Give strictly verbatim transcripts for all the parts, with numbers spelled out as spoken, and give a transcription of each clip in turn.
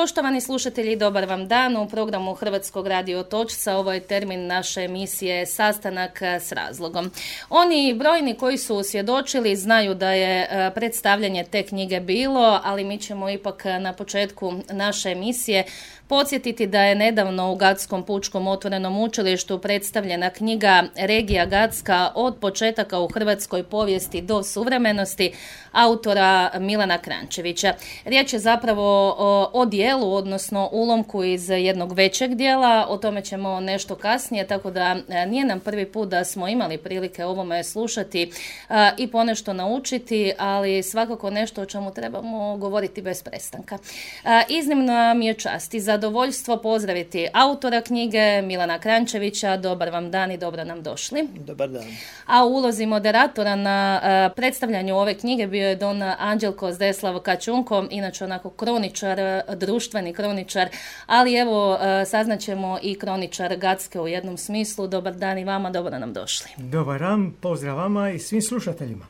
Poštovani slušatelji, dobar vam dan. U programu Hrvatskog radio Otočca ovo je termin naše emisije Sastanak s razlogom. Oni brojni koji su svjedočili znaju da je predstavljanje te knjige bilo, ali mi ćemo ipak na početku naše emisije podsjetiti da je nedavno u Gatskom pučkom otvorenom učilištu predstavljena knjiga Regija Gatska od početaka u hrvatskoj povijesti do suvremenosti autora Milana Kranjčevića. Riječ je zapravo o, o dijelu, odnosno ulomku iz jednog većeg dijela, o tome ćemo nešto kasnije, tako da nije nam prvi put da smo imali prilike ovome slušati a, i ponešto naučiti, ali svakako nešto o čemu trebamo govoriti bez prestanka. A, iznimno mi je čast i zadovoljstvo pozdraviti autora knjige Milana Kranjčevića. Dobar vam dan i dobro nam došli. Dobar dan. A u ulozi moderatora na a, predstavljanju ove knjige bio je don Anđelko Zdeslav Kačunko, inače onako kroničar, društveni kroničar, ali evo saznaćemo i kroničar Gatske u jednom smislu. Dobar dan i vama, dobro nam došli. Dobar dan, pozdrav vama i svim slušateljima.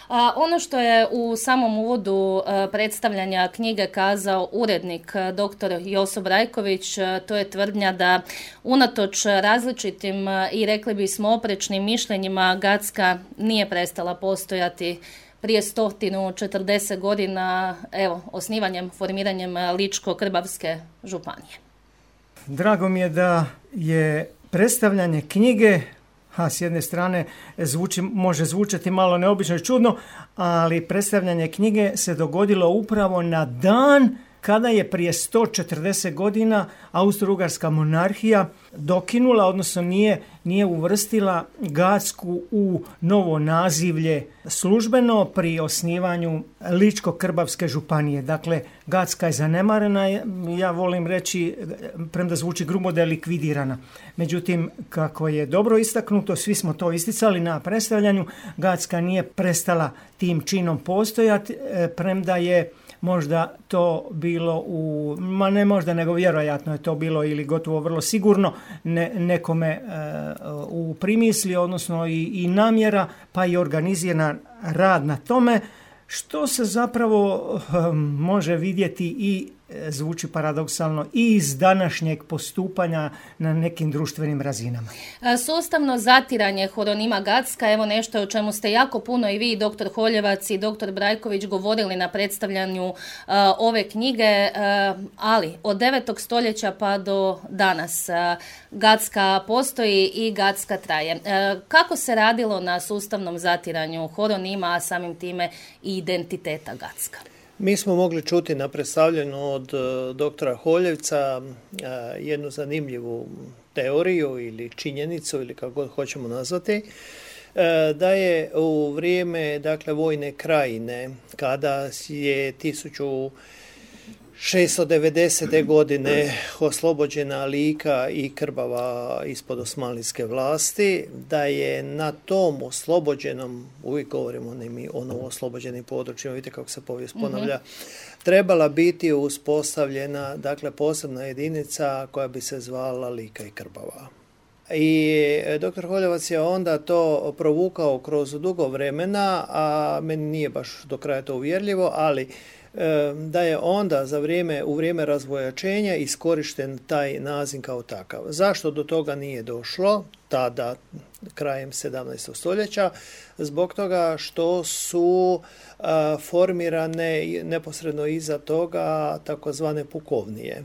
A ono što je u samom uvodu predstavljanja knjige kazao urednik doktor Joso Brajković, to je tvrdnja da unatoč različitim i rekli bismo oprečnim mišljenjima Gatska nije prestala postojati prije sto četrdeset godina, evo, osnivanjem, formiranjem Ličko-Krbavske županije. Drago mi je da je predstavljanje knjige, a s jedne strane zvuči, može zvučati malo neobično i čudno, ali predstavljanje knjige se dogodilo upravo na dan kada je prije sto četrdeset godina Austro-Ugarska monarhija dokinula, odnosno nije, nije uvrstila Gatsku u novo nazivlje službeno pri osnivanju Ličko-Krbavske županije. Dakle, Gatska je zanemarena, ja volim reći, premda zvuči grubo, da je likvidirana. Međutim, kako je dobro istaknuto, svi smo to isticali na predstavljanju, Gatska nije prestala tim činom postojati, premda je možda to bilo u, ma ne možda, nego vjerojatno je to bilo ili gotovo vrlo sigurno ne, nekome e, u primisli, odnosno i, i namjera, pa i organiziran rad na tome, što se zapravo e, može vidjeti i e, zvuči paradoksalno i iz današnjeg postupanja na nekim društvenim razinama. Sustavno zatiranje horonima Gatska, evo nešto o čemu ste jako puno i vi, doktor Holjevac i doktor Brajković, govorili na predstavljanju uh, ove knjige, uh, ali od devetog stoljeća pa do danas uh, Gatska postoji i Gatska traje. Uh, kako se radilo na sustavnom zatiranju horonima, a samim time i identiteta Gatska? Mi smo mogli čuti na predstavljanju od uh, doktora Holjevca uh, jednu zanimljivu teoriju ili činjenicu ili kako god hoćemo nazvati, uh, da je u vrijeme, dakle, vojne krajine, kada je tisuću šesto devedesete. godine oslobođena Lika i Krbava ispod osmanlijske vlasti, da je na tom oslobođenom, uvijek govorimo o novo oslobođenim područjima, vidite kako se povijest ponavlja, mm-hmm. trebala biti uspostavljena, dakle, posebna jedinica koja bi se zvala Lika i Krbava. I doktor Holjevac je onda to provukao kroz dugo vremena, a meni nije baš do kraja to uvjerljivo, ali da je onda za vrijeme, u vrijeme razvojačenja iskorišten taj naziv kao takav. Zašto do toga nije došlo tada, krajem sedamnaestog stoljeća? Zbog toga što su uh, formirane neposredno iza toga takozvane pukovnije.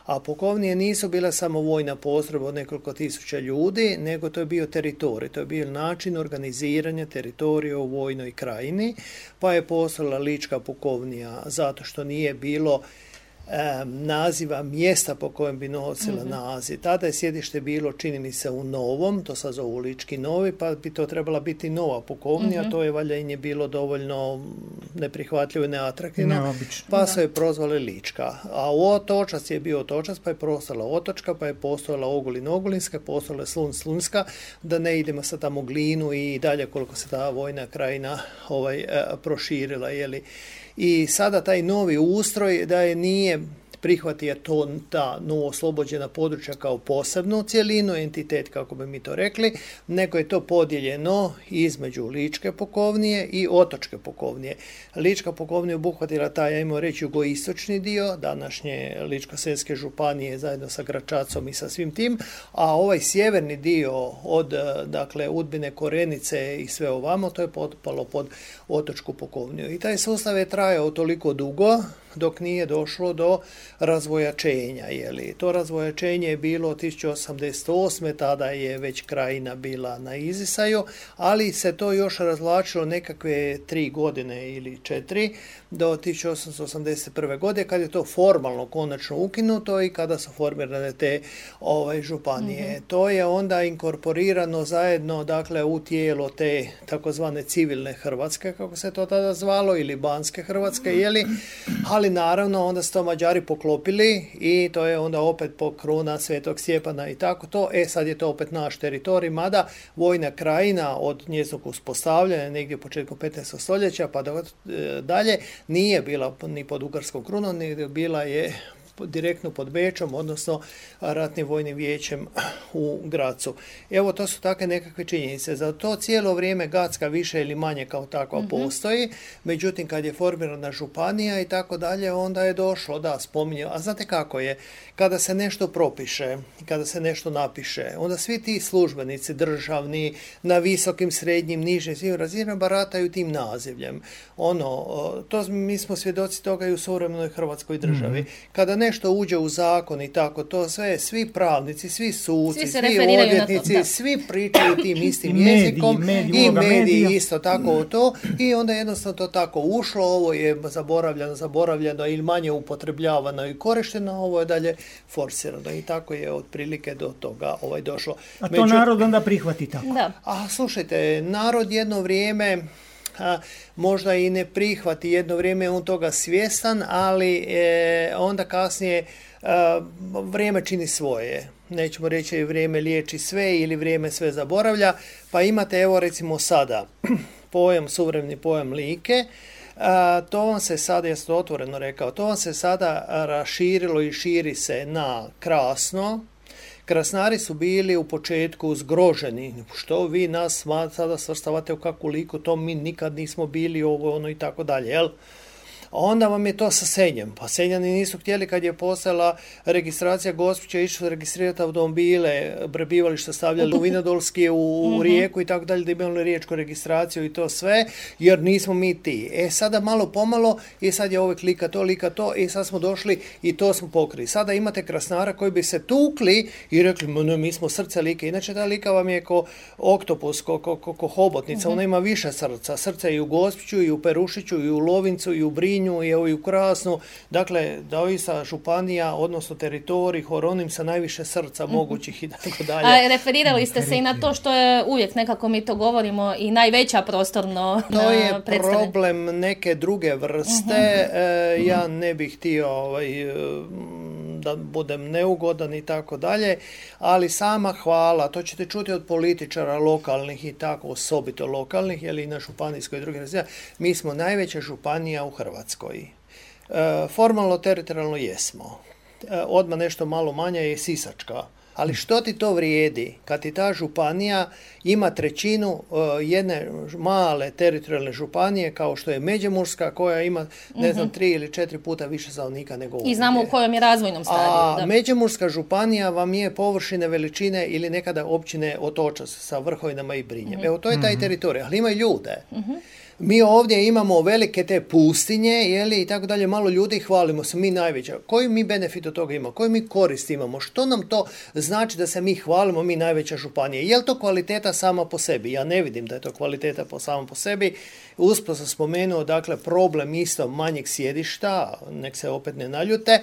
A pukovnije nisu bile samo vojna postrojba od nekoliko tisuća ljudi, nego to je bio teritorij, to je bio način organiziranja teritorija u vojnoj krajini, pa je postojala Lička pukovnija zato što nije bilo naziva mjesta po kojem bi nosila mm-hmm. naziv. Tada je sjedište bilo, čini mi se, u Novom, to sad zovu Lički Novi, pa bi to trebala biti nova pukovnija, mm-hmm. to je valjda im je bilo dovoljno neprihvatljivo i neatraktivno, Neobično, pa da. su je prozvali Lička. A u Otočac je bio Otočac, pa je postala Otočka, pa je postojala Ogulin Ogulinska, postojala Slun Slunska, da ne idemo sad tamo Glinu i dalje koliko se ta vojna krajina ovaj, proširila, jeli. I sada taj novi ustroj da je nije prihvati je to ta novooslobođena područja kao posebnu cjelinu, entitet kako bi mi to rekli, nego je to podijeljeno između Ličke pukovnije i Otočke pukovnije. Lička pukovnija obuhvatila taj, ajmo reći, jugoistočni dio, današnje Ličko-senjske županije zajedno sa Gračacom i sa svim tim, a ovaj sjeverni dio od, dakle, Udbine, Korenice i sve ovamo, to je potpalo pod Otočku pukovniju. I taj sustav je trajao toliko dugo dok nije došlo do razvojačenja. Jeli. To razvojačenje je bilo tisuću osamdeset osme. tada je već Krajina bila na izdisaju, ali se to još razvlačilo nekakve tri godine ili četiri do tisuću osamsto osamdeset prve. godine kad je to formalno konačno ukinuto i kada su formirane te ovaj, županije. Mm-hmm. To je onda inkorporirano zajedno, dakle, u tijelo te takozvane civilne Hrvatske, kako se to tada zvalo, ili Banske Hrvatske, jeli, ali naravno onda su to Mađari poklopili i to je onda opet po kruna Svetog Stjepana i tako to. E sad je to opet naš teritorij, mada Vojna Krajina od njezinog uspostavljanja negdje početkom petnaestog stoljeća pa do, e, dalje nije bila ni pod ugarskom krunom, nego bila je direktno pod Bečom, odnosno ratnim vojnim vijećem u Gracu. Evo, to su takve nekakve činjenice. Za to cijelo vrijeme Gacka više ili manje kao takva mm-hmm. postoji, međutim kad je formirana županija i tako dalje, onda je došlo, da, spominje, a znate kako je, kada se nešto propiše, kada se nešto napiše, onda svi ti službenici državni, na visokim, srednjim, nižim, svim razinama barataju tim nazivljem. Ono, to, mi smo svjedoci toga i u suvremenoj Hrvatskoj državi. Mm-hmm. Kada nešto uđe u zakon i tako, to sve, svi pravnici, svi suci, svi, svi odvjetnici, svi pričaju tim istim mediji, jezikom mediji, i mediji medija. Isto tako o to i onda jednostavno to tako ušlo, ovo je zaboravljeno, zaboravljeno ili manje upotrebljavano i korišteno, ovo je dalje forsirano i tako je otprilike do toga ovaj došlo. A to Među... narod onda prihvati tako? Da. A slušajte, narod jedno vrijeme a, možda i ne prihvati, jedno vrijeme je on toga svjestan, ali e, onda kasnije a, vrijeme čini svoje. Nećemo reći vrijeme liječi sve ili vrijeme sve zaboravlja, pa imate evo recimo sada pojam, suvremeni pojam Like. A, to vam se sada, ja sam to otvoreno rekao, to vam se sada raširilo i širi se na Krasno. Krasnari su bili u početku zgroženi. Što vi nas sada svrstavate u kakvu Liku, to mi nikad nismo bili, ovo, ono i tako dalje, jel? Onda vam je to sa Senjem. Pa Senjani nisu htjeli kad je postala registracija Gospića, išli su registrirati automobile, prebivalište stavljali u Vinodolski, u, u Rijeku i tako dalje, da imali riječku registraciju i to sve, jer nismo mi ti. E sada malo pomalo i sad je uvijek Lika to, Lika to i sad smo došli i to smo pokrili. Sada imate Krasnara koji bi se tukli i rekli, no, mi smo srce Like. Inače ta Lika vam je ko oktopus, ko, ko, ko, ko hobotnica, uh-huh. ona ima više srca. Srce i u Gospiću, i u Perušiću, i u Lovincu, i u Brinju, i evo i u Krasnu, dakle, doista županija, odnosno teritorij, horonim sa najviše srca mm-hmm. mogućih i tako dalje. A referirali ste se i na to što je uvijek, nekako mi to govorimo, i najveća prostorno to je problem neke druge vrste. Mm-hmm. E, ja ne bih htio ovaj, da budem neugodan i tako dalje, ali sama hvala, to ćete čuti od političara lokalnih i tako osobito lokalnih, jer i na županijskoj i drugim razina, mi smo najveća županija u Hrvatskoj. E, formalno, teritorijalno jesmo. E, odmah nešto malo manja je Sisačka. Ali što ti to vrijedi kad ti ta županija ima trećinu uh, jedne male teritorijalne županije kao što je Međimurska koja ima, ne znam, tri ili četiri puta više stanovnika nego ovdje. I znamo u kojem je razvojnom stadiju. A da. Međimurska županija vam je površine veličine ili nekada općine Otočac sa Vrhovinama i Brinjem. Mm-hmm. Evo, to je taj mm-hmm. teritorij, ali ima i ljude. Mm-hmm. Mi ovdje imamo velike te pustinje, jeli, i tako dalje, malo ljudi i hvalimo se, mi najveća. Koji mi benefit od toga imamo? Koji mi korist imamo? Što nam to znači da se mi hvalimo, mi najveća županija? Je li to kvaliteta sama po sebi? Ja ne vidim da je to kvaliteta po sama po sebi. Usput sam spomenuo, dakle, problem isto manjeg sjedišta, nek se opet ne naljute,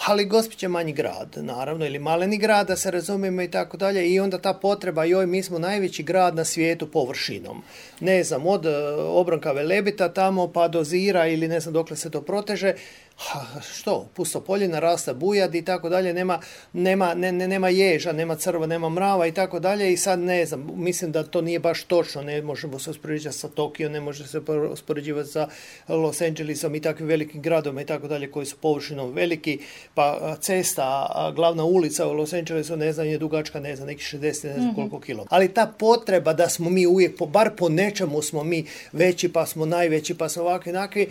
ali Gospić je manji grad, naravno, ili maleni grad, da se razumijemo i tako dalje, i onda ta potreba, joj, mi smo najveći grad na svijetu površinom. Ne znam, od Obranka Velebita tamo pa do Zira ili ne znam dokle se to proteže, Ha, što, pustopoljina, rasta bujad i tako dalje, nema, nema, ne, ne, nema ježa, nema crva, nema mrava i tako dalje i sad ne znam, mislim da to nije baš točno, ne možemo se uspoređivati sa Tokio, ne može se uspoređivati sa Los Angelesom i takvim velikim gradom i tako dalje koji su površinom veliki, pa cesta, glavna ulica u Los Angelesu, ne znam, je dugačka, ne znam, neki šezdeset, ne znam mm-hmm. koliko kilometara. Ali ta potreba da smo mi uvijek, po, bar po nečemu smo mi veći, pa smo najveći, pa smo ovakvi, onakvi,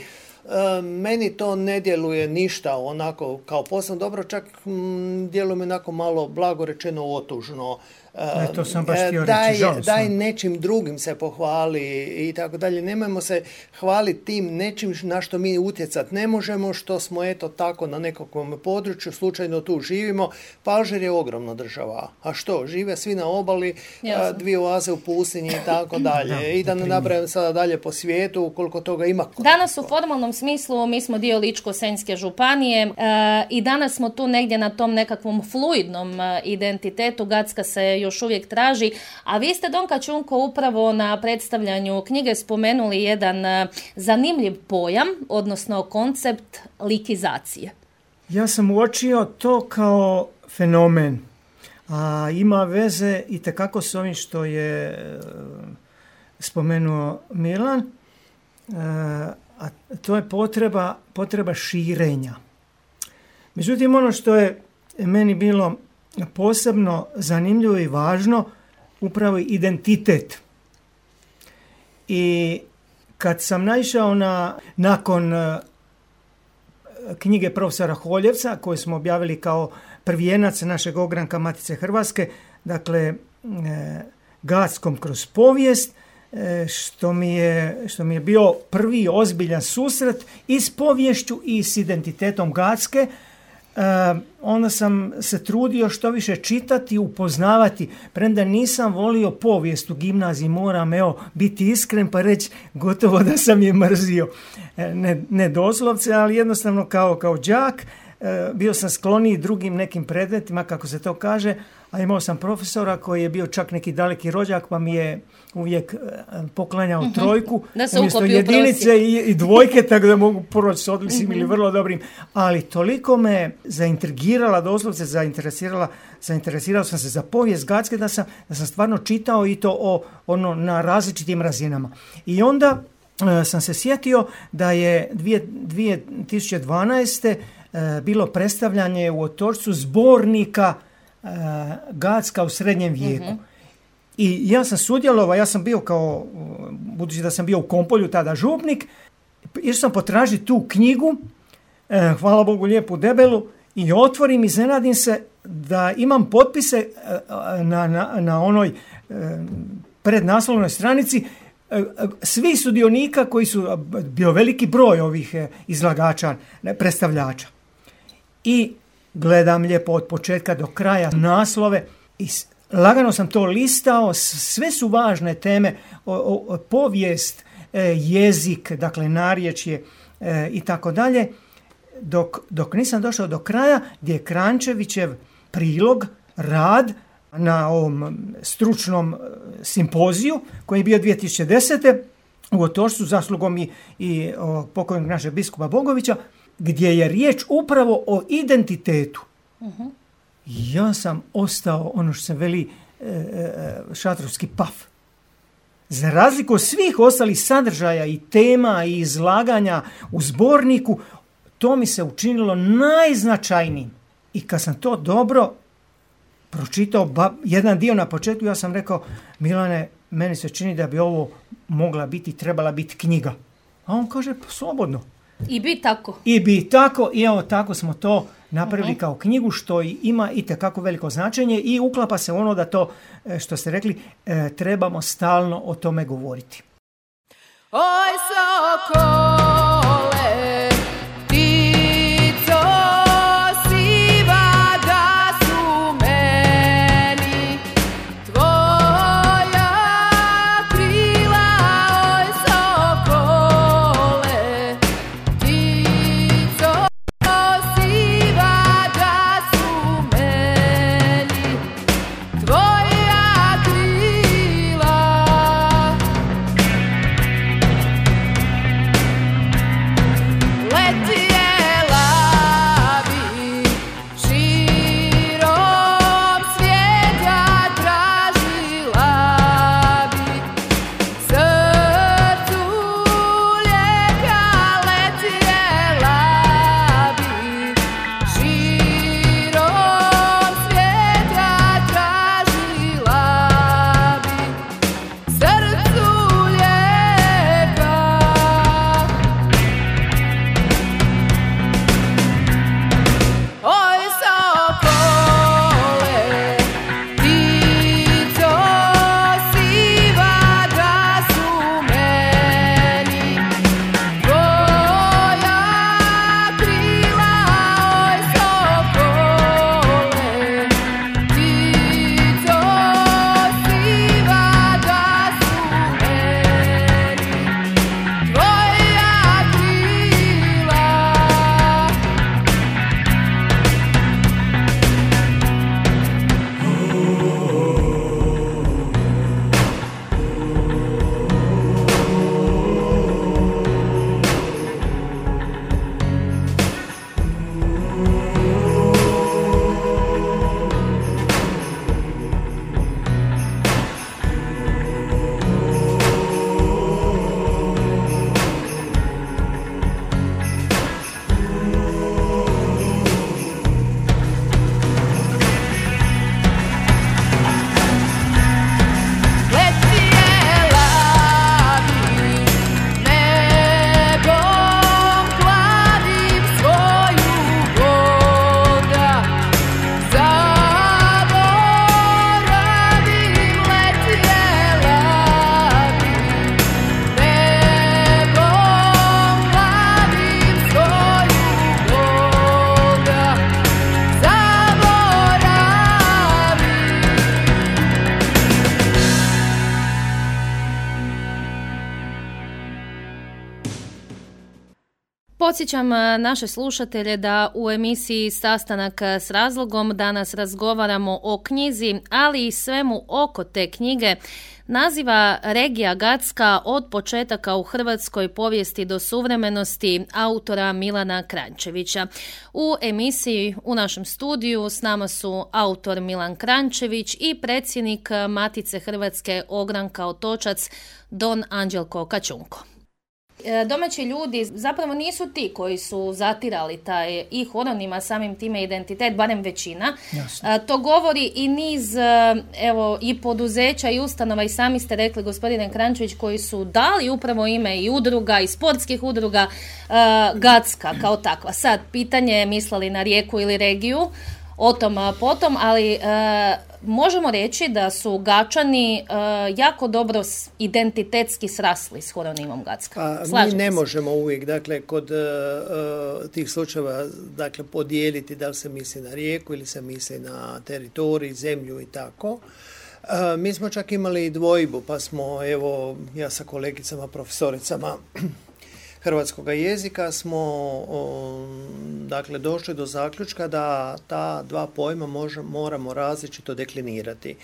meni to ne djeluje ništa onako kao posebno dobro, čak m, djeluje mi onako malo blago rečeno otužno. E, to sam baš htio daj, reći, žao daj sam. nečim drugim se pohvali i tako dalje. Nemojmo se hvaliti tim nečim na što mi utjecati ne možemo, što smo eto tako na nekakvom području, slučajno tu živimo. Pa Alžir je ogromna država. A što? Žive svi na obali, a, dvije oaze u pustinji i tako dalje. Da, I da ne nabrajam sada dalje po svijetu koliko toga ima. Danas u formalnom smislu mi smo dio Ličko-senjske županije e, i danas smo tu negdje na tom nekakvom fluidnom e, identitetu. Gacka se još uvijek traži, a vi ste, Donka Čunko, upravo na predstavljanju knjige spomenuli jedan e, zanimljiv pojam, odnosno koncept likizacije. Ja sam uočio to kao fenomen, a ima veze i tekako s ovim što je e, spomenuo Milan, e, a to je potreba, potreba širenja. Međutim, ono što je meni bilo posebno zanimljivo i važno, upravo identitet. I kad sam naišao na, nakon knjige profesora Holjevca, koju smo objavili kao prvijenac našeg ogranka Matice Hrvatske, dakle, Gackom kroz povijest, što mi je, što mi je bio prvi ozbiljan susret i s poviješću i s identitetom Gacke. Uh, onda sam se trudio što više čitati, upoznavati, premda nisam volio povijest u gimnaziji, moram evo biti iskren pa reći gotovo da sam je mrzio. Ne, ne doslovce, ali jednostavno kao, kao đak uh, bio sam skloniji drugim nekim predmetima, kako se to kaže, a imao sam profesora koji je bio čak neki daleki rođak, pa mi je uvijek poklanjao uh-huh. trojku umjesto jedinice i, i dvojke, tako da mogu proći s odličnim uh-huh. ili vrlo dobrim. Ali toliko me zaintrigirala, doslovce zainteresirala, zainteresirao sam se za povijest Gacke da sam, da sam stvarno čitao i to o, ono, na različitim razinama. I onda uh, sam se sjetio da je dvije tisuće dvanaeste. Uh, bilo predstavljanje u Otočcu zbornika uh, Gacka u srednjem vijeku. Uh-huh. I ja sam sudjelovao, ja sam bio kao, budući da sam bio u Kompolju, tada župnik, išao sam potražiti tu knjigu, eh, hvala Bogu lijepu debelu, i otvorim, iznenadim se da imam potpise eh, na, na, na onoj eh, prednaslovnoj stranici eh, svih sudionika koji su, bio veliki broj ovih eh, izlagača, ne, predstavljača. I gledam lijepo od početka do kraja naslove i lagano sam to listao, sve su važne teme, o, o, povijest, e, jezik, dakle narječje e, i tako dalje, dok, dok nisam došao do kraja gdje je Kranjčevićev prilog, rad na ovom stručnom simpoziju koji je bio dvije tisuće desete. u Otočcu zaslugom i, i o, pokojnog našeg biskupa Bogovića, gdje je riječ upravo o identitetu. Uh-huh. Ja sam ostao, ono što se veli, e, e, šatrovski paf. Za razliku od svih ostalih sadržaja i tema i izlaganja u zborniku, to mi se učinilo najznačajnijim. I kad sam to dobro pročitao, ba, jedan dio na početku, ja sam rekao, Milane, meni se čini da bi ovo mogla biti, trebala biti knjiga. A on kaže, pa slobodno. I bi tako. I bi tako, i evo tako smo to napravili uh-huh. kao knjigu, što ima itekako veliko značenje i uklapa se ono da to, što ste rekli, trebamo stalno o tome govoriti. Oj, sokole, ptico siva, da su meni tvoja krila. Oj, sokole, ptico siva, da su meni tvoja krila. Podsjećam naše slušatelje da u emisiji Sastanak s razlogom danas razgovaramo o knjizi, ali i svemu oko te knjige. Naziva Regija Gacka od početaka u hrvatskoj povijesti do suvremenosti autora Milana Kranjčevića. U emisiji u našem studiju s nama su autor Milan Kranjčević i predsjednik Matice Hrvatske Ogranka Otočac Don Anđelko Kačunko. Domaći ljudi zapravo nisu ti koji su zatirali taj i horonima, samim time identitet, barem većina. Jasno. To govori i niz evo, i poduzeća i ustanova, i sami ste rekli, gospodine Kranjčević, koji su dali upravo ime i udruga i sportskih udruga uh, Gacka kao takva. Sad, pitanje je mislili na Rijeku ili regiju, o tom potom, ali uh, možemo reći da su Gačani uh, jako dobro identitetski srasli s horonimom Gacka. Pa, mi ne se. možemo uvijek, dakle, kod uh, tih slučajeva, dakle, podijeliti da li se misli na rijeku ili se misli na teritorij, zemlju i tako. Uh, mi smo čak imali dvojbu, pa smo, evo, ja sa kolegicama, profesoricama hrvatskog jezika smo o, dakle, došli do zaključka da ta dva pojma može, moramo različito deklinirati.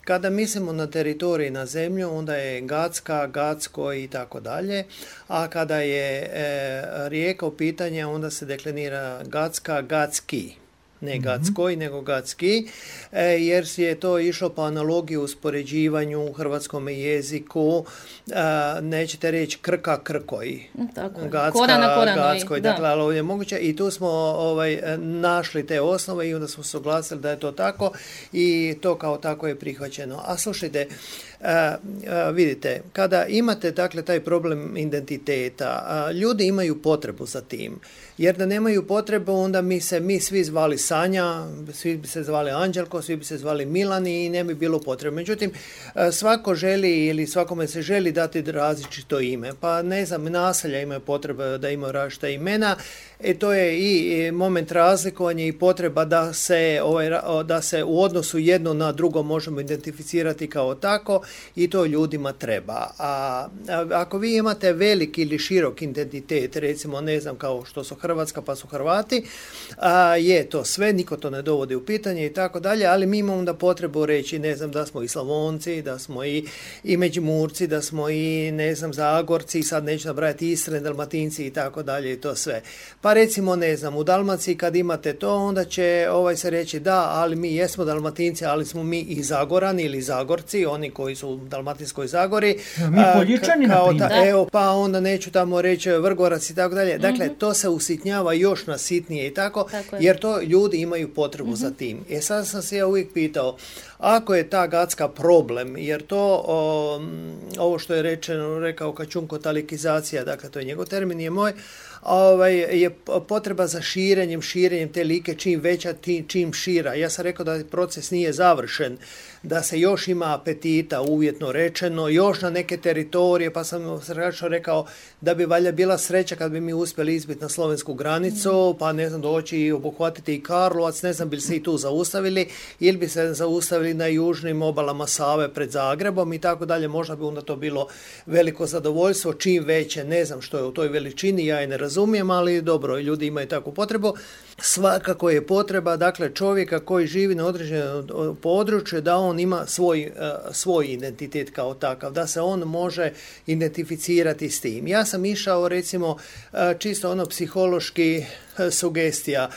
Kada mislimo na teritorij i na zemlju, onda je Gacka, Gacko i tako dalje, a kada je e, rijeka u pitanje, onda se deklinira Gacka, Gacki. Ne Gackoj, mm-hmm. nego Gacki, e, jer je to išlo po analogiji u uspoređivanju u hrvatskom jeziku. E, nećete reći Krka, Krkoj. Tako je. Gacka, Korana, koranoj. Gackoj, dakle, ali ovdje je moguće. I tu smo ovaj, našli te osnove i onda smo se oglasili da je to tako i to kao tako je prihvaćeno. A slušajte, Uh, uh, vidite, kada imate dakle taj problem identiteta, uh, ljudi imaju potrebu za tim, jer da nemaju potrebu, onda mi se mi svi zvali Sanja, svi bi se zvali Anđelko, svi bi se zvali Milani i ne bi bilo potrebe. Međutim, uh, svako želi ili svakome se želi dati različito ime, pa ne znam, naselja imaju potrebe da imaju različita imena. E, to je i moment razlikovanja i potreba da se, ovaj, da se u odnosu jedno na drugo možemo identificirati kao tako i to ljudima treba. A, a ako vi imate veliki ili širok identitet, recimo ne znam kao što su Hrvatska pa su Hrvati, a, je to sve, niko to ne dovodi u pitanje i tako dalje, ali mi imamo da potrebu reći, ne znam, da smo i Slavonci, da smo i, i Međimurci, da smo i, ne znam, Zagorci, sad neću nabrajati Istre, Dalmatinci i tako dalje i to sve. Pa recimo, ne znam, u Dalmaciji kad imate to, onda će ovaj se reći da, ali mi jesmo Dalmatinci, ali smo mi i Zagorani ili Zagorci, oni koji su u Dalmatinskoj Zagori. Ja, mi Poljičani, na primjer. Evo, pa onda neću tamo reći Vrgorac i tako dalje. Dakle, mm-hmm. to se usitnjava još na sitnije i tako, tako jer to ljudi imaju potrebu mm-hmm. za tim. E sad sam se ja uvijek pitao, ako je ta Gacka problem, jer to, o, ovo što je rečeno, rekao Kačunko, talikizacija, dakle to je njegov termin, je moj, ovaj, je potreba za širenjem, širenjem te like, čim veća, čim šira. Ja sam rekao da proces nije završen, da se još ima apetita, uvjetno rečeno, još na neke teritorije, pa sam rekao da bi valjda bila sreća kad bi mi uspjeli izbiti na slovensku granicu, pa ne znam, doći i obuhvatiti i Karlovac, ne znam bi li se i tu zaustavili, ili bi se zaustavili na južnim obalama Save pred Zagrebom i tako dalje, možda bi onda to bilo veliko zadovoljstvo, čim veće, ne znam što je u toj veličini, ja je ne razumijem, ali dobro, ljudi imaju takvu potrebu. Svakako je potreba, dakle, čovjeka koji živi na određenom području, da on ima svoj, svoj identitet kao takav, da se on može identificirati s tim. Ja sam išao, recimo, čisto ono psihološki sugestija.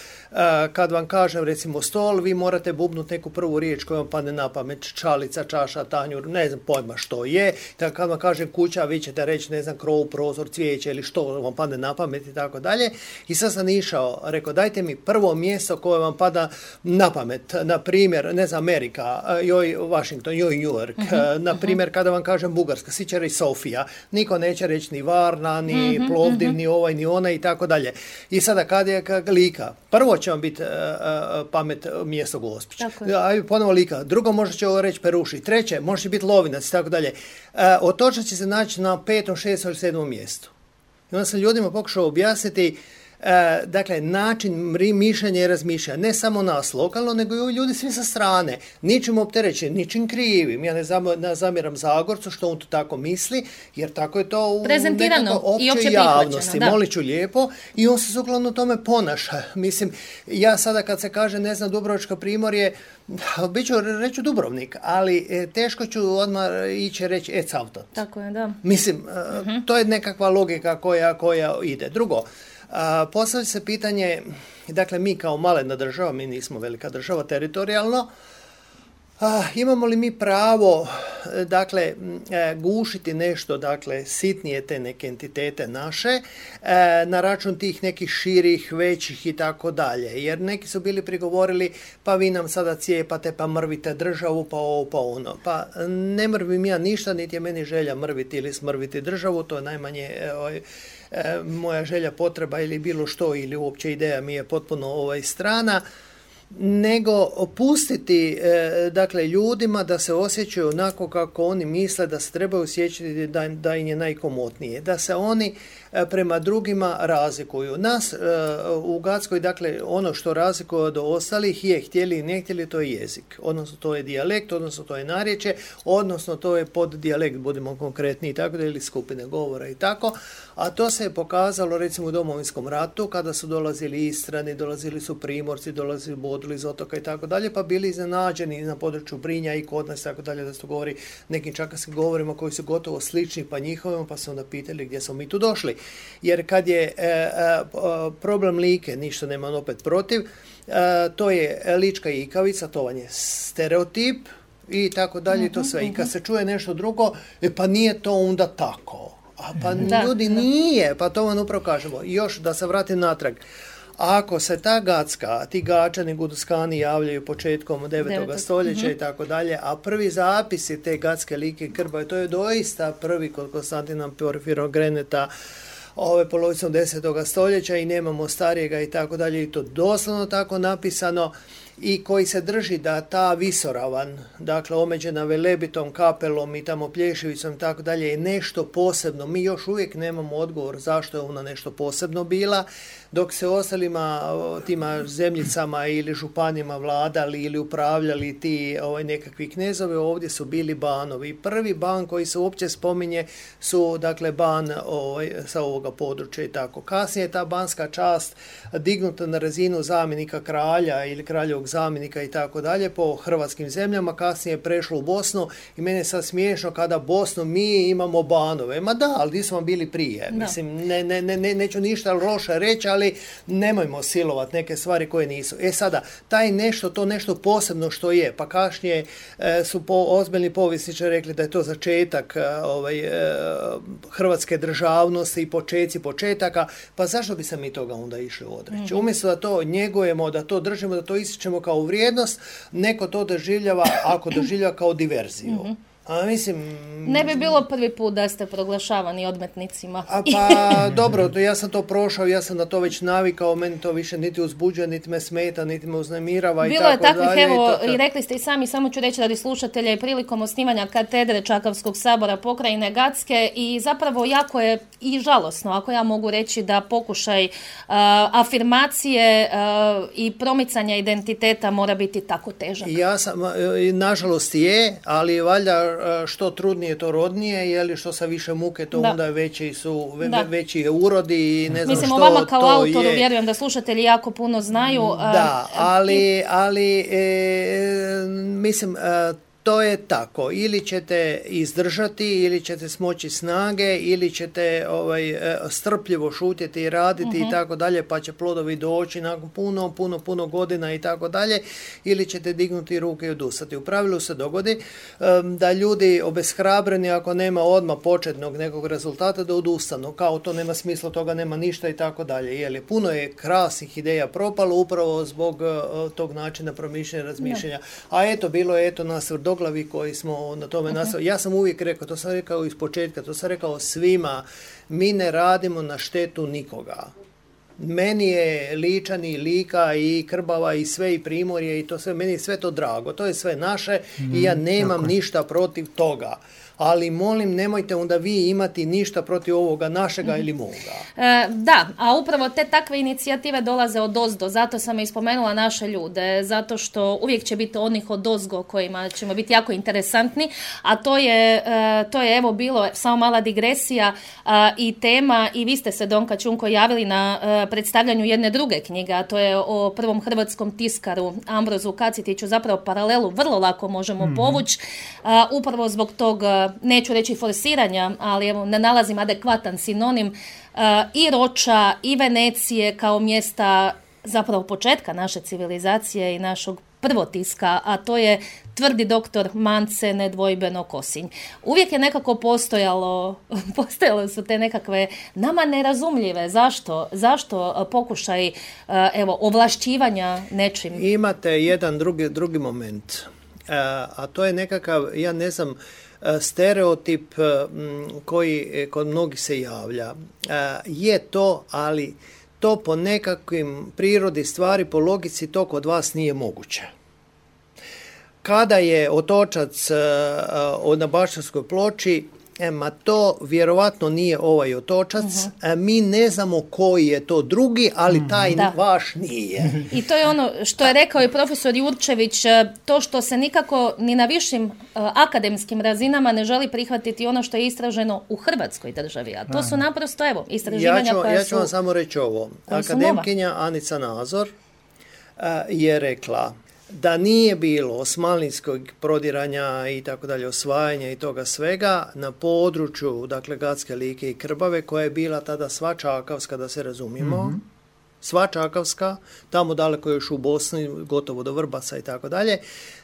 Kad vam kažem, recimo, stol, vi morate bubnuti neku prvu riječ koja vam padne na pamet, čalica, čaša, tanjur, ne znam pojma što je. Tako kad vam kažem kuća, vi ćete reći, ne znam, krov, prozor, cvijeće ili što vam padne na pamet i tako dalje. I sad sam išao, rekao, dajte mi prvo mjesto koje vam pada na pamet. Na primjer, ne znam, Amerika, joj Washington, joj New York. Uh-huh, na primjer, uh-huh. kada vam kažem Bugarska, svi će reći Sofija. Niko neće reći ni Varna, ni uh-huh, Plovdiv, uh-huh. ni ovaj, ni ona i tako dalje. I sada kad je Lika, prvo će vam biti uh, uh, pamet mjesto Gospić. Ajde, ponovo Lika. Drugo možda će ovo reći Peruši. Treće, može biti Lovinac i tako dalje. Uh, Otočac će se naći na petom, šestom ili sedmom mjestu. I onda sam ljudima pokušao objasniti E, dakle, način mišljenja i razmišljanja, ne samo nas lokalno, nego i ljudi svi sa strane. Ničim opterećeni, ničim krivim. Ja ne, zam, ne zamjeram Zagorcu što on to tako misli, jer tako je to u nekako općoj javnosti. Molit ću lijepo i on se sukladno tome ponaša. Mislim, ja sada kad se kaže, ne znam, Dubrovačko primorje, bit ću reći Dubrovnik, ali e, teško ću odmah ići reći e cavtat. Tako je, da. Mislim, uh-huh. to je nekakva logika koja, koja ide. Drugo, postavlja se pitanje, dakle mi kao malena država, mi nismo velika država teritorijalno, a, imamo li mi pravo, dakle, gušiti nešto, dakle, sitnije te neke entitete naše, e, na račun tih nekih širih, većih i tako dalje. Jer neki su bili prigovorili, pa vi nam sada cijepate, pa mrvite državu, pa ovo, pa ono. Pa ne mrvim ja ništa, niti je meni želja mrviti ili smrviti državu, to je najmanje ovaj, e, moja želja, potreba ili bilo što, ili uopće ideja mi je potpuno ovaj, strana, nego pustiti e, dakle ljudima da se osjećaju onako kako oni misle da se trebaju osjećati da, da im je najkomotnije, da se oni e, prema drugima razlikuju. Nas e, u Gatskoj, dakle ono što razlikuje od ostalih je, htjeli i ne htjeli, to je jezik, odnosno to je dijalekt, odnosno to je narječje, odnosno to je poddijalekt, budemo konkretni i tako da, ili skupine govora i tako, a to se je pokazalo recimo u Domovinskom ratu kada su dolazili Istrani, dolazili su Primorci, dolazili Boduli iz otoka i tako dalje, pa bili iznenađeni na području Brinja i kod nas i tako dalje, da se govori nekim čakaskim govorima koji su gotovo slični pa njihovima, pa su onda pitali gdje smo mi tu došli. Jer kad je e, e, problem Like, ništa nemam opet protiv, e, to je lička ikavica, to vam je stereotip i tako dalje, i to sve. I kad se čuje nešto drugo, e, pa nije to onda tako. A pa da, ljudi da. Nije, pa to vam upravo kažemo. I još da se vratim natrag. Ako se ta Gatska, ti Gačani, Guduskani javljaju početkom devetog stoljeća i tako dalje, a prvi zapisi te Gatske Like i Krbave, to je doista prvi kod Konstantina Porfirogreneta, ove polovicom desetog stoljeća i nemamo starijega i tako dalje, i to doslovno tako napisano, i koji se drži da ta visoravan, dakle omeđena Velebitom, Kapelom i tamo Plješevicom i tako dalje, je nešto posebno. Mi još uvijek nemamo odgovor zašto je ona nešto posebno bila, dok se ostalima tima zemljicama ili županima vladali ili upravljali ti ovaj, nekakvi knezove, ovdje su bili banovi. Prvi ban koji se uopće spominje su, dakle, ban ovaj, sa ovoga područja i tako. Kasnije je ta banska čast dignuta na razinu zamjenika kralja ili kraljevog zamjenika i tako dalje po hrvatskim zemljama, kasnije je prešlo u Bosnu i mene je sad smiješno kada Bosnu mi imamo banove. Ma da, ali gdje smo bili prije? Da. Mislim, ne, ne, ne, neću ništa loše reći, ali nemojmo silovat neke stvari koje nisu. E sada, taj nešto, to nešto posebno što je, pa kasnije e, su po, ozbiljni povjesničari rekli da je to začetak e, ovaj, e, hrvatske državnosti i počeci početaka, pa zašto bi se mi toga onda išli odreći? Mm-hmm. Umjesto da to njegujemo, da to držimo, da to ističemo kao vrijednost, neko to doživljava, ako doživljava kao diverziju. Mm-hmm. A mislim... Ne bi bilo prvi put da ste proglašavani odmetnicima. A pa dobro, ja sam to prošao, ja sam na to već navikao, meni to više niti uzbuđuje, niti me smeta, niti me uznemirava i tako dalje. Bilo je takvih, evo, i rekli ste i sami, samo ću reći radi slušatelja, i prilikom osnivanja katedre Čakavskog sabora pokrajine Gatske, i zapravo jako je i žalosno, ako ja mogu reći, da pokušaj uh, afirmacije uh, i promicanja identiteta mora biti tako težak. Ja sam, nažalost je, ali valjda što trudnije to rodnije, je što sa više muke to da. Onda veći su ve, veći je urodi i ne znam Mislim, što to je. Mislim, o vama kao autoru je. Vjerujem da slušatelji jako puno znaju. Da, ali, ali e, mislim, e, to je tako, ili ćete izdržati, ili ćete smoći snage, ili ćete ovaj, strpljivo šutjeti i raditi uh-huh. i tako dalje, pa će plodovi doći nakon puno, puno, puno godina i tako dalje, ili ćete dignuti ruke i odustati. U pravilu se dogodi um, da ljudi obeshrabreni, ako nema odmah početnog nekog rezultata, da odustanu, kao to nema smisla, toga nema ništa i tako dalje. Jeli, puno je krasnih ideja propalo upravo zbog uh, tog načina promišljanja, razmišljanja. No. A eto, bilo je eto nas glavi koji smo na tome uh-huh. nastavili. Ja sam uvijek rekao, to sam rekao iz početka, to sam rekao svima, mi ne radimo na štetu nikoga. Meni je Ličani, Lika i Krbava i sve i Primorje i to sve, meni je sve to drago, to je sve naše mm, i ja nemam tako. Ništa protiv toga. ali molim, nemojte onda vi imati ništa protiv ovoga našega ili moga. E, da, a upravo te takve inicijative dolaze od ozdo, zato sam i spomenula naše ljude, zato što uvijek će biti onih od ozgo kojima ćemo biti jako interesantni, a to je, e, to je evo bilo samo mala digresija a, i tema, i vi ste se, Donka Čunko, javili na a, predstavljanju jedne druge knjige, a to je o prvom hrvatskom tiskaru Ambrozu Kacitiću, zapravo paralelu vrlo lako možemo mm-hmm. povući, a, upravo zbog tog, neću reći forsiranja, ali evo, ne nalazim adekvatan sinonim, uh, i Roča i Venecije kao mjesta zapravo početka naše civilizacije i našeg prvotiska, a to je tvrdi doktor Mance, nedvojbeno Kosinj. Uvijek je nekako postojalo, postojalo su te nekakve nama nerazumljive. Zašto? Zašto pokušaj uh, evo, ovlašćivanja nečim? Imate jedan drugi, drugi moment, uh, a to je nekakav, ja ne znam, stereotip koji kod mnogih se javlja. Je to, ali to po nekakvim prirodi stvari, po logici to kod vas nije moguće. Kada je otočac na Bašćanskoj ploči, E, ma to vjerovatno nije ovaj otočac, uh-huh. mi ne znamo koji je to drugi, ali taj da. vaš nije. I to je ono što je rekao i profesor Jurčević, to što se nikako ni na višim uh, akademskim razinama ne želi prihvatiti ono što je istraženo u Hrvatskoj državi, a to uh-huh. su naprosto, evo, istraživanja ja ću, koja ja ću su... vam samo reći ovo. Akademkinja Anica Nazor uh, je rekla da nije bilo osmanlijskog prodiranja i tako dalje, osvajanja i toga svega na području, dakle, Gatske, Like i Krbave, koja je bila tada sva čakavska, da se razumijemo, mm-hmm. sva čakavska, tamo daleko još u Bosni, gotovo do Vrbasa i tako dalje,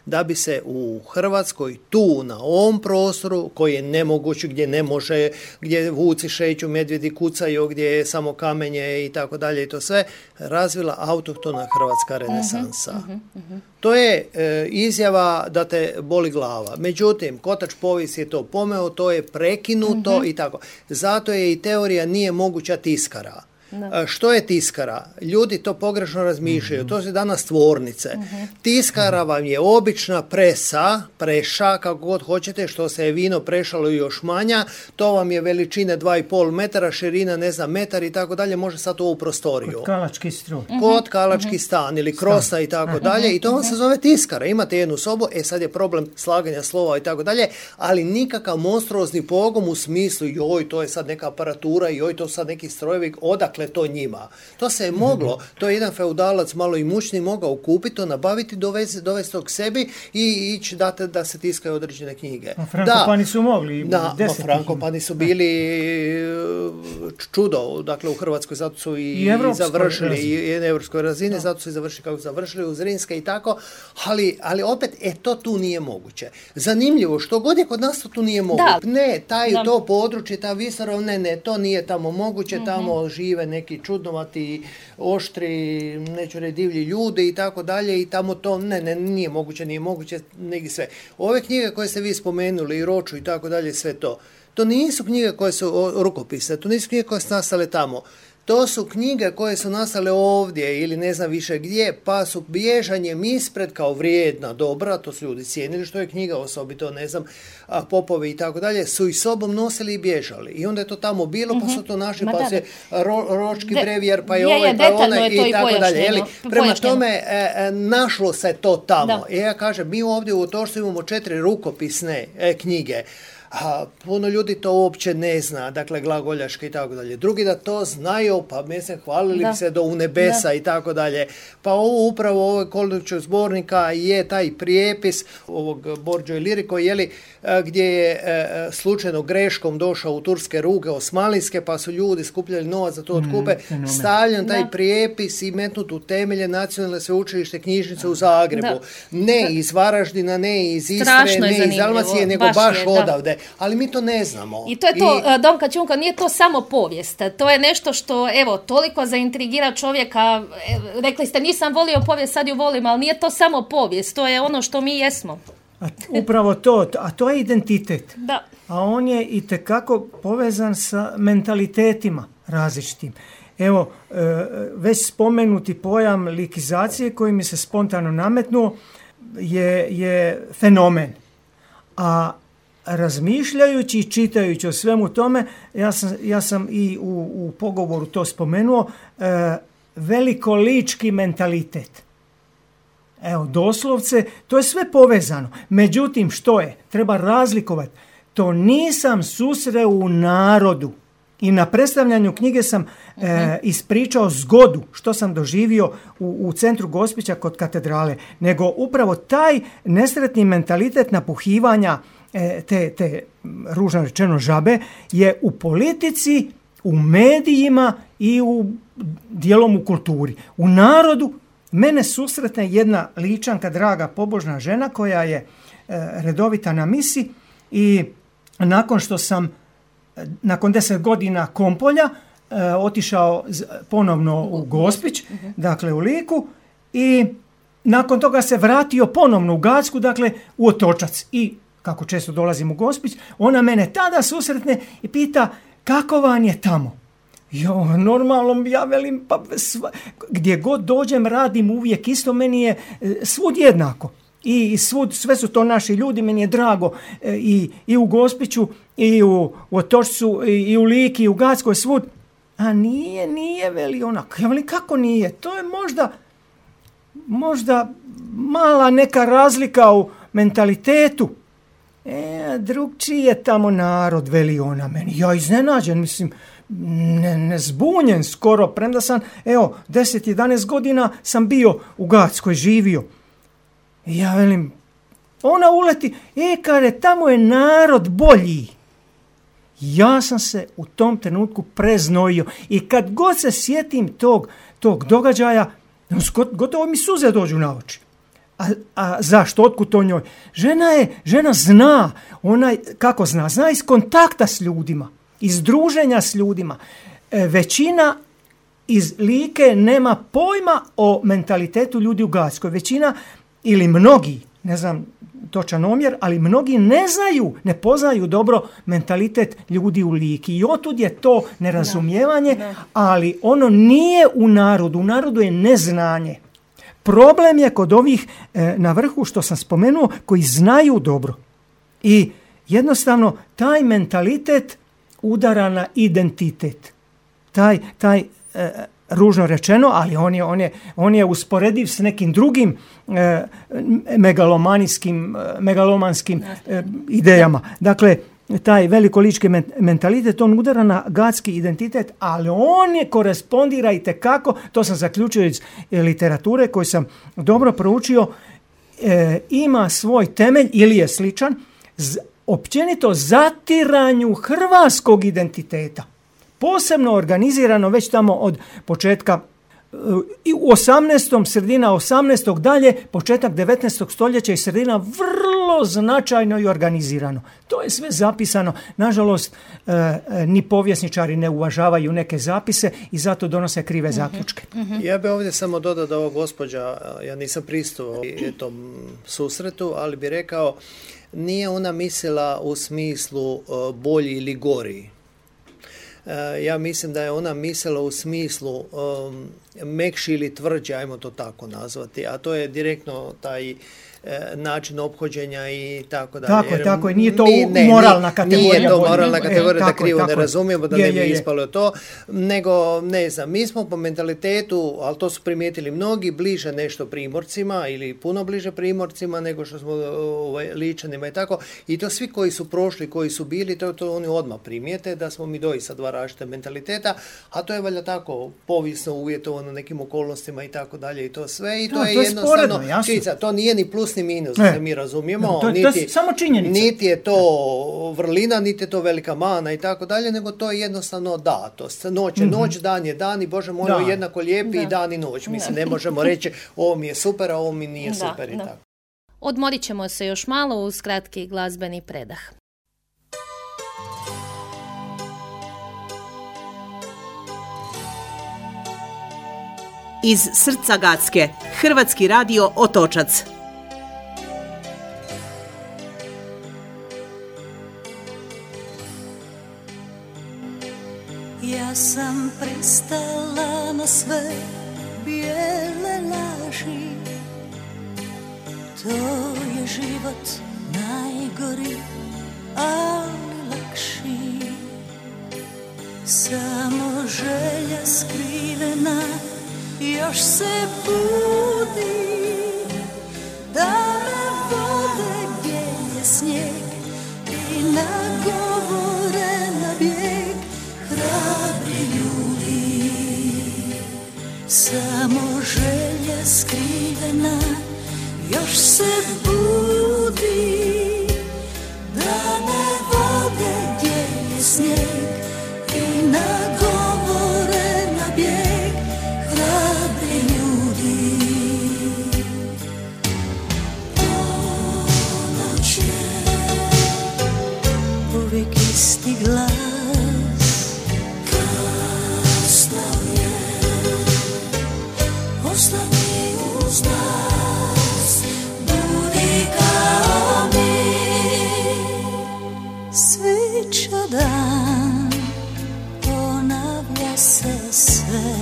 da bi se u Hrvatskoj tu na ovom prostoru, koji je nemoguć, gdje ne može, gdje vuci šeću, medvjedi kucaju, gdje je samo kamenje i tako dalje i to sve, razvila autohtona hrvatska renesansa. Uh-huh, uh-huh. To je e, izjava da te boli glava. Međutim, kotač povijesti je to pomeo, to je prekinuto uh-huh. i tako. Zato je i teorija nije moguća tiskara. Da. Što je tiskara? Ljudi to pogrešno razmišljaju. Mm-hmm. To su danas tvornice. Mm-hmm. Tiskara vam je obična presa, preša, kako god hoćete, što se je vino prešalo još manja. To vam je veličine dva i pol metara, širina ne znam metar i tako dalje. Može sad u ovu prostoriju. Kod kalački stroj. Mm-hmm. Kod kalački mm-hmm. stan ili krosa i tako mm-hmm. dalje. I to vam se zove tiskara. Imate jednu sobu, e sad je problem slaganja slova i tako dalje, ali nikakav monstruozni pogom u smislu joj, to je sad neka aparatura, joj, to sad neki strojevi, odakle to njima. To se je moglo, to je jedan feudalac malo imućni mogao kupiti, to nabaviti, dovesti, dovesti to k sebi i ići dati da se tiskaju određene knjige. A Frankopani su mogli. Da, ma Frankopani su bili čudo, dakle u Hrvatskoj, zato su i, I, i završili, i na evropskoj razini, da. Zato su i završili kako završili u Zrinske i tako, ali, ali opet, e, to tu nije moguće. Zanimljivo, što god je kod nas to tu nije moguće. Da. Ne, taj, da. to područje, ta Visorov, ne, ne, to nije tamo moguće, mm-hmm. tamo žive neki čudnovati, oštri, neću reći divlji ljudi i tako dalje i tamo to, ne, ne, nije moguće, nije moguće, negdje sve. Ove knjige koje ste vi spomenuli, i Roču i tako dalje, sve to, to nisu knjige koje su rukopisne, to nisu knjige koje su nastale tamo. To su knjige koje su nastale ovdje ili ne znam više gdje, pa su bježanjem ispred kao vrijedna, dobra, to su ljudi cijenili što je knjiga, osobito, ne znam, popovi i tako dalje, su i sobom nosili i bježali. I onda je to tamo bilo, mm-hmm. pa su to našli, pa da, se ro, ročki De, brevijer, pa je, je ovaj, pa je onaj i tako dalje. Jeli, prema tome, e, e, našlo se to tamo. I ja kažem, mi ovdje u Otočcu imamo četiri rukopisne e, knjige. A puno ljudi to uopće ne zna, dakle glagoljaške i tako dalje. Drugi da to znaju, pa mislim hvalili da. bi se do u nebesa da. i tako dalje. Pa ovo upravo ovog Koldućeg zbornika je taj prijepis ovog Borđo i Liriko, jeli, gdje je e, slučajno greškom došao u turske ruke osmanlijske, pa su ljudi skupljali novac za to otkupe, mm, stavljen taj da. prijepis i metnut u temelje Nacionalne sveučilište knjižnice u Zagrebu. Da. Ne iz Varaždina, ne iz Istre, ne iz Dalmacije, nego baš, baš je, odavde. Ali mi to ne znamo. I to je to, I... Donka Čunko, nije to samo povijest. To je nešto što, evo, toliko zaintrigira čovjeka. Rekli ste, nisam volio povijest, sad ju volim, ali nije to samo povijest. To je ono što mi jesmo. A upravo to, a to je identitet. Da. A on je itekako povezan sa mentalitetima različitim. Evo, već spomenuti pojam likizacije koji mi se spontano nametnuo je, je fenomen. A razmišljajući i čitajući o svemu tome, ja sam, ja sam i u, u pogovoru to spomenuo, e, velikolički mentalitet. Evo, doslovce, to je sve povezano. Međutim, što je? Treba razlikovati. To nisam susreo u narodu. I na predstavljanju knjige sam uh-huh. e, ispričao zgodu što sam doživio u, u centru Gospića kod katedrale. Nego upravo taj nesretni mentalitet napuhivanja e, te, te, ružno rečeno, žabe je u politici, u medijima i u dijelom u kulturi. U narodu mene susretne jedna Ličanka, draga pobožna žena koja je e, redovita na misi i nakon što sam nakon deset godina Kompolja e, otišao z, ponovno u Gospić, uh-huh. dakle u Liku, i nakon toga se vratio ponovno u Gacku, dakle u Otočac. I kako često dolazim u Gospić, ona mene tada susretne i pita kako vam je tamo. Jo, normalno, ja velim, pa sva, gdje god dođem radim uvijek isto, meni je svud jednako. I svud, sve su to naši ljudi, meni je drago e, i, i u Gospiću, i u, u Otočcu, i, i u Liki, i u Gackoj, svud. A nije, nije, veli onako. Ja velim, kako nije? To je možda, možda mala neka razlika u mentalitetu. E, drugčiji je tamo narod, veli ona meni. Ja iznenađen, mislim, ne, ne zbunjen skoro, premda sam, evo, deset jedanaest godina sam bio u Gackoj, živio. I ja velim, ona uleti, e, kare, tamo je narod bolji. Ja sam se u tom trenutku preznojio i kad god se sjetim tog, tog događaja, gotovo mi suze dođu na oči. A, a zašto? Otkud to njoj? Žena je, žena zna, ona, kako zna? Zna iz kontakta s ljudima, iz druženja s ljudima. E, većina iz Like nema pojma o mentalitetu ljudi u Gackoj. Većina ili mnogi, ne znam točan omjer, ali mnogi ne znaju, ne poznaju dobro mentalitet ljudi u Liki. I otud je to nerazumijevanje, da, da. Ali ono nije u narodu. U narodu je neznanje. Problem je kod ovih e, na vrhu što sam spomenuo, koji znaju dobro. I jednostavno taj mentalitet udara na identitet. Taj, taj e, ružno rečeno, ali on je, on je, on je usporediv s nekim drugim e, megalomanijskim, megalomanskim e, idejama. Dakle, taj velikolički mentalitet, on udara na gacki identitet, ali on je korespondira i tekako, to sam zaključio iz literature koju sam dobro proučio, e, ima svoj temelj ili je sličan z, općenito zatiranju hrvatskog identiteta. Posebno organizirano već tamo od početka i u osamnaestom, sredina osamnaestog dalje, početak devetnaestog stoljeća i sredina vrlo značajno i organizirano. To je sve zapisano. Nažalost, e, e, ni povjesničari ne uvažavaju neke zapise i zato donose krive zaključke. Uh-huh. Ja bih ovdje samo dodao da ova gospođa, ja nisam pristupao tom susretu, ali bi rekao, nije ona mislila u smislu uh, bolji ili gori. Ja mislim da je ona mislila u smislu um, mekši ili tvrđi, ajmo to tako nazvati, a to je direktno taj e, način ophođenja i tako dalje. Tako je, tako je, nije to mi, ne, moralna kategorija. Nije to moralna kategorija, e, da krivo je, ne razumijemo, da je, ne bi je, je. ispalo to, nego, ne znam, mi smo po mentalitetu, ali to su primijetili mnogi, bliže nešto Primorcima ili puno bliže Primorcima nego što smo ovaj, Ličanima i tako, i to svi koji su prošli, koji su bili, to, to oni odmah primijete, da smo mi doista dva različite mentaliteta, a to je valjda tako povijesno uvjetovano nekim okolnostima i tako dalje i to sve, i to, no, je, to je jednostavno sporedno, činjenica, to nije ni plus ni minus, da se mi razumijemo, no, to, niti, to je samo činjenica. Niti je to vrlina, niti je to velika mana i tako dalje, nego to je jednostavno datost. Noć je mm-hmm. noć, dan je dan i Bože moj, da. jednako lijepi da. i dan i noć. Mislim, da. ne možemo reći ovo mi je super, a ovo mi nije da, super i da. tako. Odmorit ćemo se još malo uz kratki glazbeni predah. Iz srca Gacke, Hrvatski radio Otočac. Ja sam pristala na sve bijele laži, to je život najgori, ali lakši. Samo želja skrivena još se budi, da me vode gdje je snijeg i nagovore na bijeg hrabri ljudi. Samo želja skrivena još se budi, da me vode gdje je snijeg i nagovore na bijeg hrabri ljudi. Ponoć je uvijek isti glas, kasno je, ostani uz nas, budi kao mi. Svića dan, ponavlja se sve,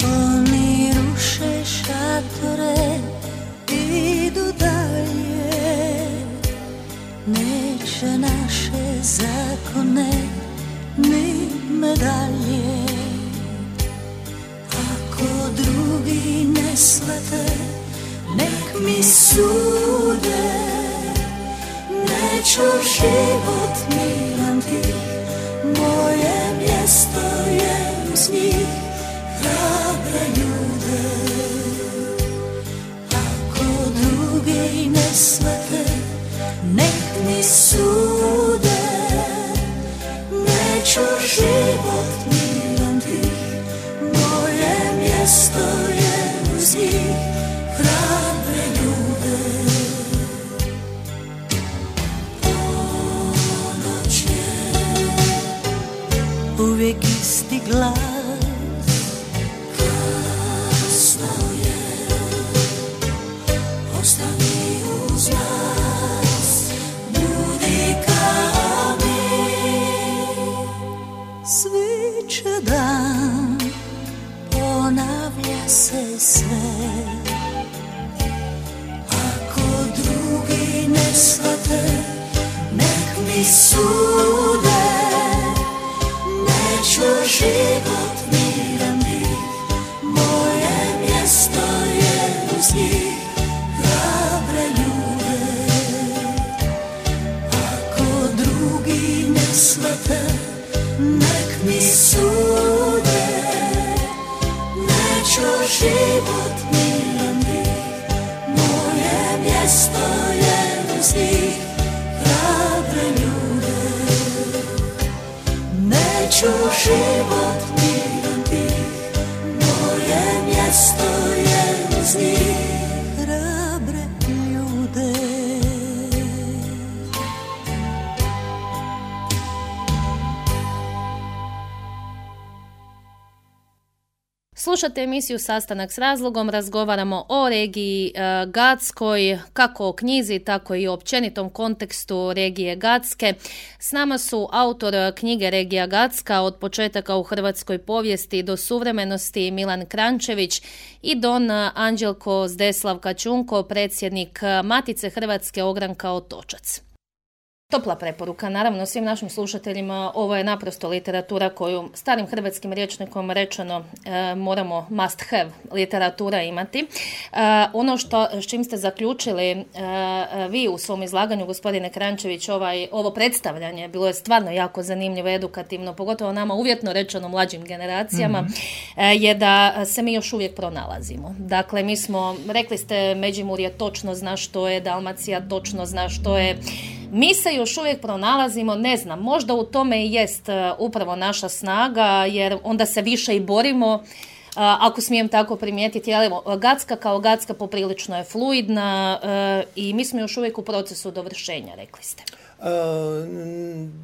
oni ruše šatore, idu dalje, neće naše zakone ni medalje. Ako drugi ne shvate, nek mi sude, neću život miran tih, moje mjesto je uz njih, hrabre ljude. Ako drugi ne shvate, nek mi sude, neću život miran tih, moje mjesto je uz njih, hrabre ljude. Ponoć je uvijek isti glas, kasno je, ostani uz nas, budi kao mi. Sviće dan, ponavlja se sve, ako drugi ne shvate, nek mi sude, neću život miran bih, moje mjesto je uz njih, hrabre ljude. Ako drugi ne shvate, nek mi sude, neću život miran bih, moje mjesto je uz njih, hrabre ljude. Neću život miran bih, moje mjesto je uz njih, hrabre ljude. Slušate emisiju Sastanak s razlogom, razgovaramo o regiji e, Gatskoj, kako o knjizi, tako i o općenitom kontekstu regije Gatske. S nama su autor knjige Regija Gatska od početaka u hrvatskoj povijesti do suvremenosti Milan Krančević i don Anđelko Zdeslav Kačunko, predsjednik Matice Hrvatske Ogranka Otočac. Topla preporuka, naravno, svim našim slušateljima. Ovo je naprosto literatura koju starim hrvatskim rječnikom rečeno e, moramo must have literatura imati. E, ono što, s čim ste zaključili e, vi u svom izlaganju, gospodine Krančević, ovaj, ovo predstavljanje bilo je stvarno jako zanimljivo, edukativno, pogotovo nama uvjetno rečeno mlađim generacijama, mm-hmm. e, je da se mi još uvijek pronalazimo. Dakle, mi smo, rekli ste, Međimurje točno zna što je, Dalmacija točno zna što je. Mi se još uvijek pronalazimo, ne znam, možda u tome i jest upravo naša snaga, jer onda se više i borimo, ako smijem tako primijetiti. Ali evo, Gatska kao Gatska poprilično je fluidna i mi smo još uvijek u procesu dovršenja, rekli ste.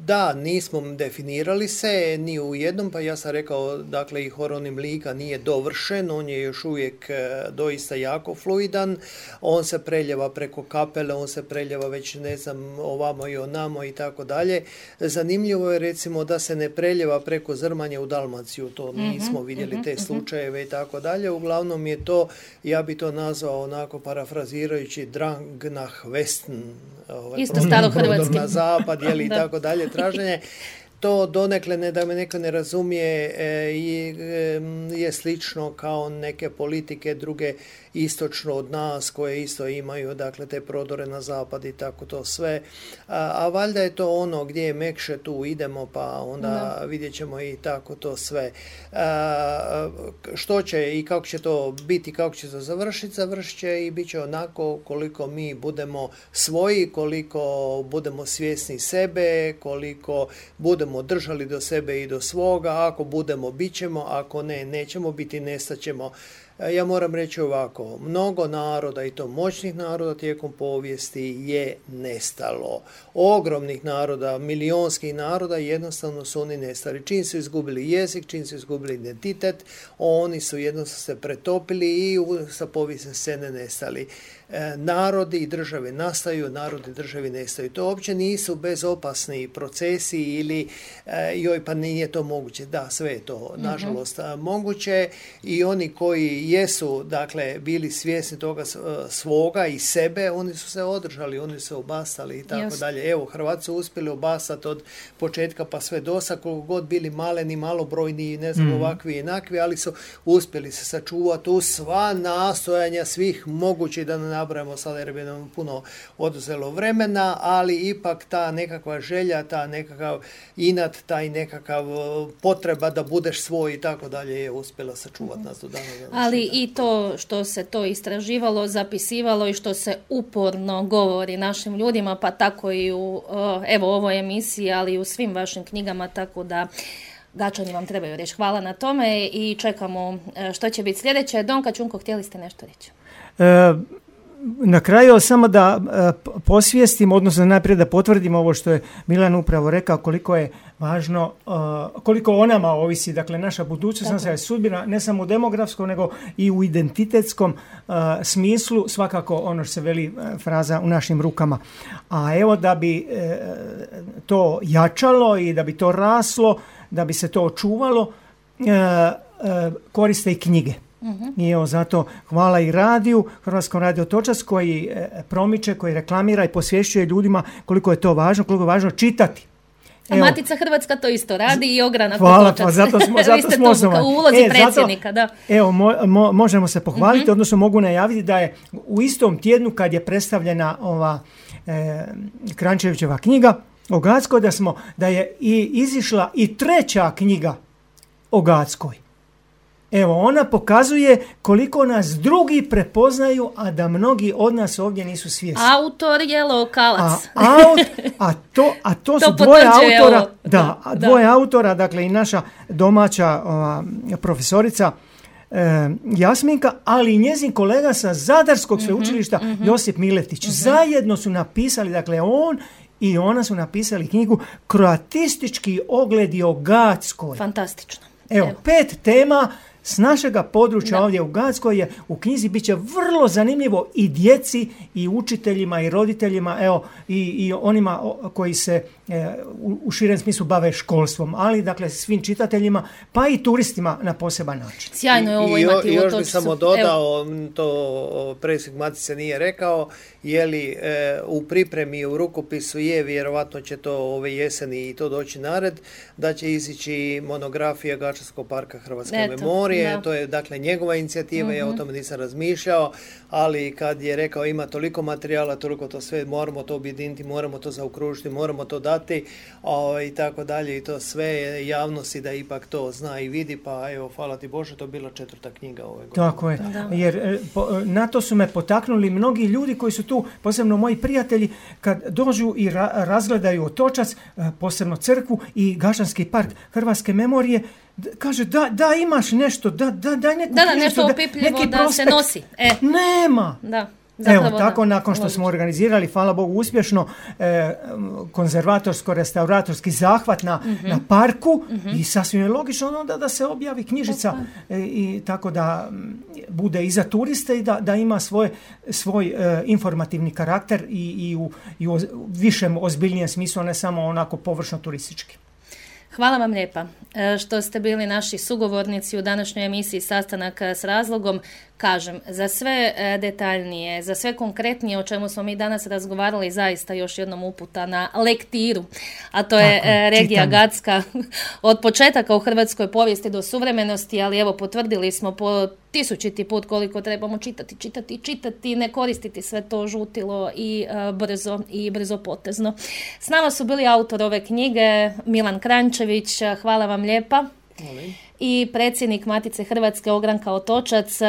Da, nismo definirali se ni u jednom, pa ja sam rekao, dakle i horonim lika nije dovršen, on je još uvijek doista jako fluidan, on se preljeva preko kapele, on se preljeva već ne znam ovamo i onamo i tako dalje. Zanimljivo je recimo da se ne preljeva preko Zrmanja u Dalmaciju, to nismo vidjeli te slučajeve i tako dalje, uglavnom je to, ja bi to nazvao onako parafrazirajući drang nach Westen, ovaj, isto starohrvatski. Na zapad, jeli, i tako dalje, traženje. To donekle, ne da me neko ne razumije, je slično kao neke politike druge istočno od nas koje isto imaju, dakle, te prodore na zapad i tako to sve. A, a valjda je to ono gdje je mekše, tu idemo, pa onda da. Vidjet ćemo i tako to sve. A, što će i kako će to biti, kako će to završiti, završit će i bit će onako koliko mi budemo svoji, koliko budemo svjesni sebe, koliko budemo držali do sebe i do svoga, ako budemo, bit ćemo, ako ne, nećemo biti, nestaćemo. Ja moram reći ovako, mnogo naroda i to moćnih naroda tijekom povijesti je nestalo. Ogromnih naroda, milionskih naroda jednostavno su oni nestali. Čim su izgubili jezik, čim su izgubili identitet, oni su jednostavno se pretopili i sa povijesne scene nestali. E, narodi i države nastaju, narodi i državi nestaju. To uopće nisu bezopasni procesi ili e, joj pa nije to moguće. Da, sve je to nažalost mm-hmm. moguće i oni koji jesu, dakle, bili svjesni toga svoga i sebe, oni su se održali, oni su se obastali i tako yes. dalje. Evo, Hrvati su uspjeli obastati od početka pa sve dosa, koliko god bili maleni, malobrojni, ne znam, mm. ovakvi i jednakvi, ali su uspjeli se sačuvati u sva nastojanja svih mogućih, da ne nabrajamo sada jer bi nam puno oduzelo vremena, ali ipak ta nekakva želja, ta nekakav inat, taj nekakav potreba da budeš svoj i tako dalje je uspjela sačuvati mm. nas do dana. Ali i to što se to istraživalo, zapisivalo i što se uporno govori našim ljudima, pa tako i u evo ovoj emisiji, ali i u svim vašim knjigama, tako da Gačani vam trebaju reći hvala na tome i čekamo što će biti sljedeće. Donka Čunko, htjeli ste nešto reći? E, na kraju samo da e, posvijestim, odnosno najprije da potvrdim ovo što je Milan upravo rekao, koliko je važno, uh, koliko o nama ovisi, dakle, naša budućnost, naša sudbina, ne samo u demografskom, nego i u identitetskom uh, smislu, svakako ono što se veli uh, fraza u našim rukama. A evo da bi uh, to jačalo i da bi to raslo, da bi se to očuvalo, uh, uh, koriste i knjige. Uh-huh. I evo zato hvala i radiju, Hrvatskom radio Otočac koji uh, promiče, koji reklamira i posvješćuje ljudima koliko je to važno, koliko je važno čitati. A evo, Matica Hrvatska to isto radi i Ogranak hvala, Otočac. Pa zato smo, zato smo osnovali. U ulozi e, predsjednika, zato, da. Evo, mo, mo, možemo se pohvaliti, uh-huh. odnosno mogu najaviti da je u istom tjednu kad je predstavljena ova e, Kranjčevićeva knjiga o Gatskoj, da, smo, da je i izišla i treća knjiga o Gatskoj. Evo, ona pokazuje koliko nas drugi prepoznaju, a da mnogi od nas ovdje nisu svjesni. Autor je lokalac. A, aut, a, to, a to, to su dvoje autora, ovo. Da, da, dvoje da. autora, dakle i naša domaća ova, profesorica e, Jasminka, ali i njezin kolega sa Zadarskog mm-hmm, sveučilišta mm-hmm. Josip Miletić. Mm-hmm. Zajedno su napisali, dakle on i ona su napisali knjigu Kroatistički ogledi o Gatskoj. Fantastično. Evo, Evo. pet tema s našega područja da. Ovdje u Gatskoj je u knjizi, bit će vrlo zanimljivo i djeci i učiteljima i roditeljima, evo i, i onima koji se e, u, u širem smislu bave školstvom, ali dakle svim čitateljima pa i turistima na poseban način. Sjajno je ovo I, imati i, u još bi samo dodao, evo. To predsjednik Matice nije rekao, je li e, u pripremi u rukopisu je, vjerovatno će to ove jeseni i to doći nared, da će izići monografija Gačanskog parka Hrvatske Eto. memorije. Da. To je dakle njegova inicijativa, mm-hmm. ja o tome nisam razmišljao, ali kad je rekao ima toliko materijala, toliko to sve, moramo to objediniti, moramo to zaokružiti, moramo to dati o, i tako dalje i to sve javnosti da ipak to zna i vidi, pa evo, hvala ti Bože, to je bila četvrta knjiga ove godine. Tako je, da. Jer po, na to su me potaknuli mnogi ljudi koji su tu, posebno moji prijatelji, kad dođu i ra- razgledaju Otočac, posebno crkvu i Gačanski park Hrvatske memorije, kaže, da, da imaš nešto, da, da, da, neku da, da, nešto opipljivo, da prospekt. se nosi. E. Nema. Da. Zapravo Evo, tako da, nakon što odlično. smo organizirali, hvala Bogu, uspješno e, konzervatorsko-restauratorski zahvat na, Mhm. na parku i sasvim je logično onda da se objavi knjižica e, i tako da m, bude i za turiste i da, da ima svoj, svoj e, informativni karakter i, i u, i u višem, ozbiljnijem smislu, ne samo onako površno turistički. Hvala vam lijepa e, što ste bili naši sugovornici u današnjoj emisiji Sastanak s razlogom. Kažem, za sve e, detaljnije, za sve konkretnije o čemu smo mi danas razgovarali, zaista još jednom uputa na lektiru, a to je Tako je, e, regija čitanje. Gatska od početaka u hrvatskoj povijesti do suvremenosti, ali evo potvrdili smo po tisućiti put koliko trebamo čitati, čitati, čitati, ne koristiti sve to žutilo i e, brzo i brzo potezno. S nama su bili autor ove knjige Milan Kranjčević, hvala vam lijepa. I predsjednik Matice Hrvatske Ogranka Otočac,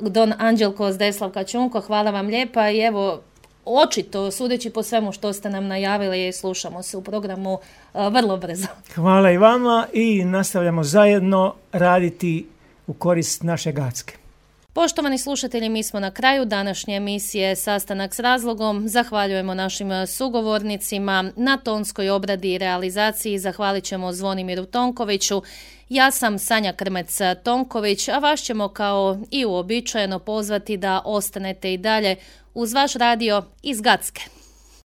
don Anđelko Zdeslavka Čunko, hvala vam lijepa i evo, očito, sudeći po svemu što ste nam najavili, slušamo se u programu a, vrlo brzo. Hvala i vama i nastavljamo zajedno raditi u korist naše Gatske. Poštovani slušatelji, mi smo na kraju današnje emisije Sastanak s razlogom. Zahvaljujemo našim sugovornicima na tonskoj obradi i realizaciji. Zahvalit ćemo Zvonimiru Tonkoviću. Ja sam Sanja Krmec-Tonković, a vas ćemo kao i uobičajeno pozvati da ostanete i dalje uz vaš radio iz Gatske.